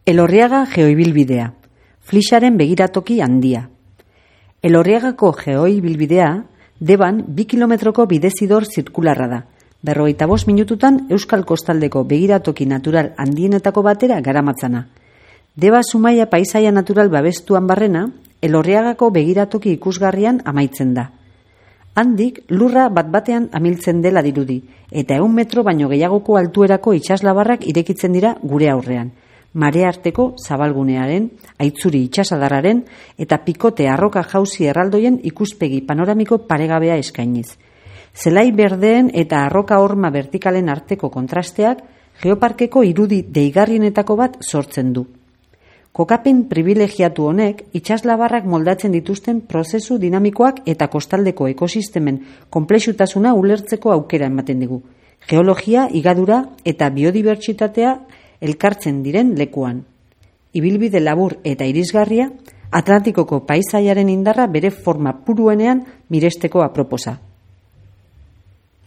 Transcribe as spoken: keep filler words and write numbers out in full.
Elorriaga geoibilbidea, Flixaren begiratoki handia. Elorriagako geoibilbidea Deban bi kilometroko bidezidor zirkularra da. Berrogeita bost minututan Euskal Kostaldeko begiratoki natural handienetako batera garamatzana. Deba Zumaia paisaia natural babestuan barrena, Elorriagako begiratoki ikusgarrian amaitzen da. Handik lurra bat batean amiltzen dela dirudi, eta ehun metro baino gehiagoko altuerako itsaslabarrak irekitzen dira gure aurrean. Marea arteko zabalgunearen, aitzuri itsasadarraren eta pikote arroka jauzi erraldoien ikuspegi panoramiko paregabea eskainiz. Zelai berdeen eta arroka horma vertikalen arteko kontrasteak geoparkeko irudi deigarrienetako bat sortzen du. Kokapen privilegiatu honek itsaslabarrak moldatzen dituzten prozesu dinamikoak eta kostaldeko ekosistemen konplexutasuna ulertzeko aukera ematen digu. Geologia, higadura eta biodibertsitatea elkartzen diren lekuan. Ibilbide labur eta irisgarria, Atlantikoko paisaiaren indarra bere forma puruenean miresteko aproposa.